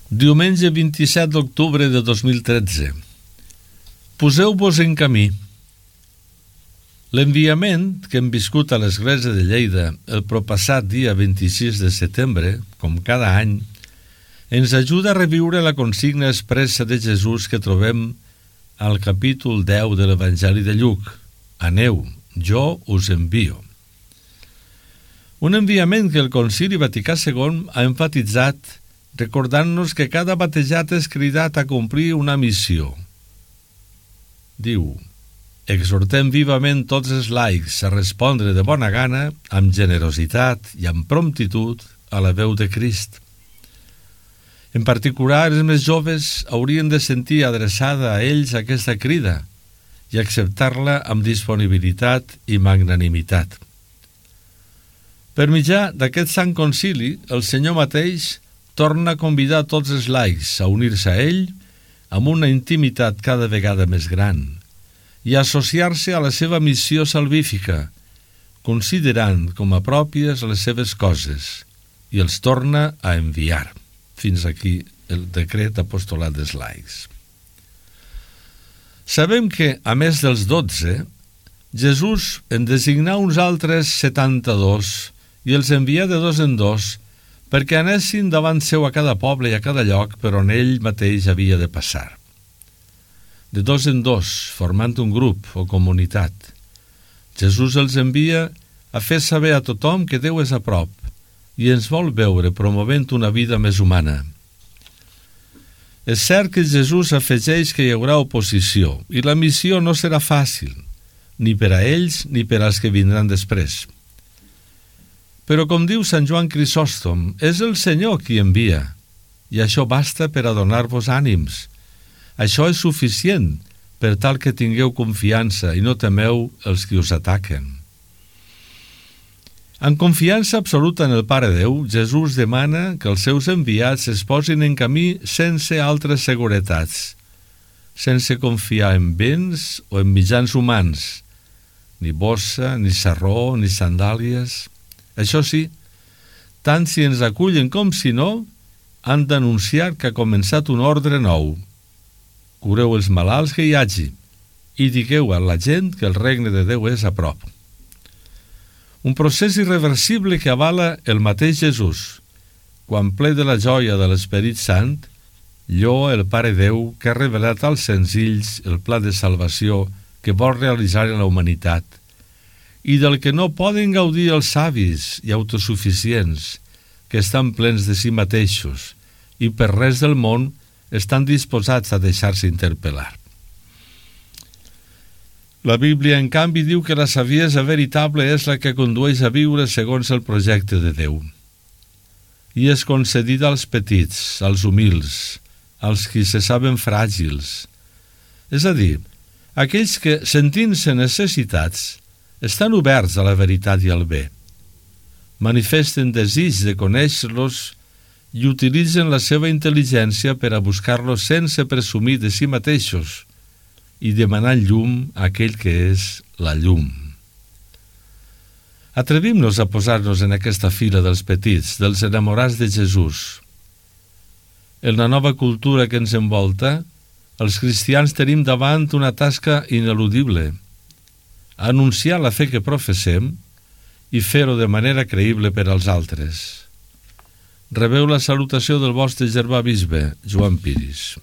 Diumenge 27 d'octubre de 2013. Poseu-vos en camí. L'enviament que hem viscut a l'Església de Lleida el propassat dia 26 de setembre, com cada any, ens ajuda a reviure la consigna expressa de Jesús que trobem al capítol 10 de l'Evangeli de Lluc. Aneu, jo us envio. Un enviament que el Concili Vaticà II ha enfatitzat recordant-nos que cada batejat és cridat a complir una missió. Diu: exhortem vivament tots els laics a respondre de bona gana, amb generositat i amb promptitud a la veu de Crist. En particular, els més joves haurien de sentir adreçada a ells aquesta crida i acceptar-la amb disponibilitat i magnanimitat. Per mitjà d'aquest sant concili, el Senyor mateix torna a convidar tots els laics a unir-se a ell amb una intimitat cada vegada més gran i a associar-se a la seva missió salvífica, considerant com a pròpies les seves coses, i els torna a enviar. Fins aquí el decret apostolat dels laics. Sabem que, a més dels 12, Jesús en designà uns altres 72 i els envià de dos en dos perquè anessin davant seu a cada poble i a cada lloc per on ell mateix havia de passar. De dos en dos, formant un grup o comunitat, Jesús els envia a fer saber a tothom que Déu és a prop i ens vol veure promovent una vida més humana. És cert que Jesús afegeix que hi haurà oposició i la missió no serà fàcil, ni per a ells ni per als que vindran després. Però com diu Sant Joan Crisòstom, és el Senyor qui envia, i això basta per a donar-vos ànims. Això és suficient per tal que tingueu confiança i no temeu els qui us ataquen. En confiança absoluta en el Pare Déu, Jesús demana que els seus enviats es posin en camí sense altres seguretats, sense confiar en béns o en mitjans humans, ni bossa, ni sarró, ni sandàlies. Això sí, tant si ens acullen com si no, han d'anunciar que ha començat un ordre nou. Cureu els malalts que hi hagi i digueu a la gent que el regne de Déu és a prop. Un procés irreversible que avala el mateix Jesús, quan ple de la joia de l'Esperit Sant, lloa el Pare Déu que ha revelat als senzills el pla de salvació que vol realitzar en la humanitat i del que no poden gaudir els savis i autosuficients que estan plens de si mateixos i per res del món estan disposats a deixar-se interpel·lar. La Bíblia, en canvi, diu que la saviesa veritable és la que condueix a viure segons el projecte de Déu. I és concedida als petits, als humils, als qui se saben fràgils. És a dir, aquells que, sentint-se necessitats, estan oberts a la veritat i al bé, manifesten desig de conèixer-los i utilitzen la seva intel·ligència per a buscar-los sense presumir de si mateixos i demanant llum a aquell que és la llum. Atrevim-nos a posar-nos en aquesta fila dels petits, dels enamorats de Jesús. En la nova cultura que ens envolta, els cristians tenim davant una tasca ineludible: anunciar la fe que professem i fer-ho de manera creïble per als altres. Rebeu la salutació del vostre germà bisbe, Joan Piris.